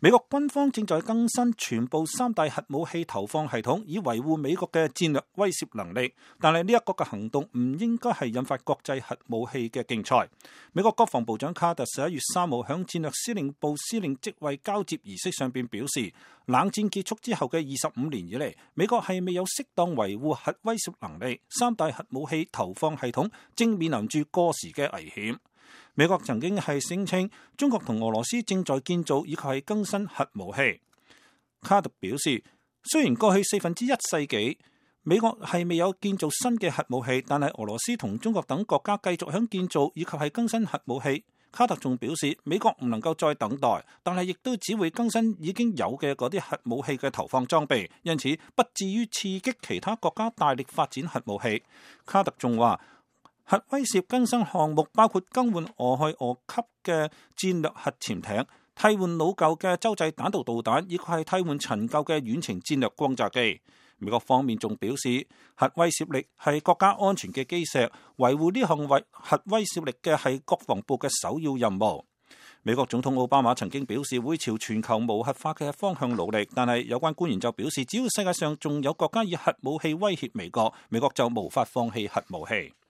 美國軍方正在更新全部3大核武器投放系統，以維護美國嘅戰略威懾能力。但係呢一個嘅行動唔應該係引發國際核武器嘅競賽。美國國防部長卡特11月3號響戰略司令部司令職位交接儀式上邊表示，冷戰結束之後嘅25年以嚟，美國係未有適當維護核威懾能力，3大核武器投放系統正面臨住過時嘅危險。美國曾經係聲稱中國同俄羅斯正在建造以及係更新核武器。卡特表示，雖然過去1/4世紀美國係未有建造新嘅核武器，但係俄羅斯同中國等國家繼續響建造以及係更新核武器。卡特仲表示，美國唔能夠再等待，但係亦都只會更新已經有嘅嗰啲核武器嘅投放裝備，因此不至於刺激其他國家大力發展核武器。卡特仲話，核威懾更新項目包括更換俄亥俄級嘅戰略核潛艇、替換老舊嘅洲際彈道導彈，以及係替換陳舊嘅遠程戰略轟炸機。美國方面仲表示，核威懾力係國家安全嘅基石，維護呢項核威懾力嘅係國防部嘅首要任務。美國總統奧巴馬曾經表示會朝全球無核化嘅方向努力，但係有關官員就表示，只要世界上仲有國家以核武器威脅美國，美國就無法放棄核武器。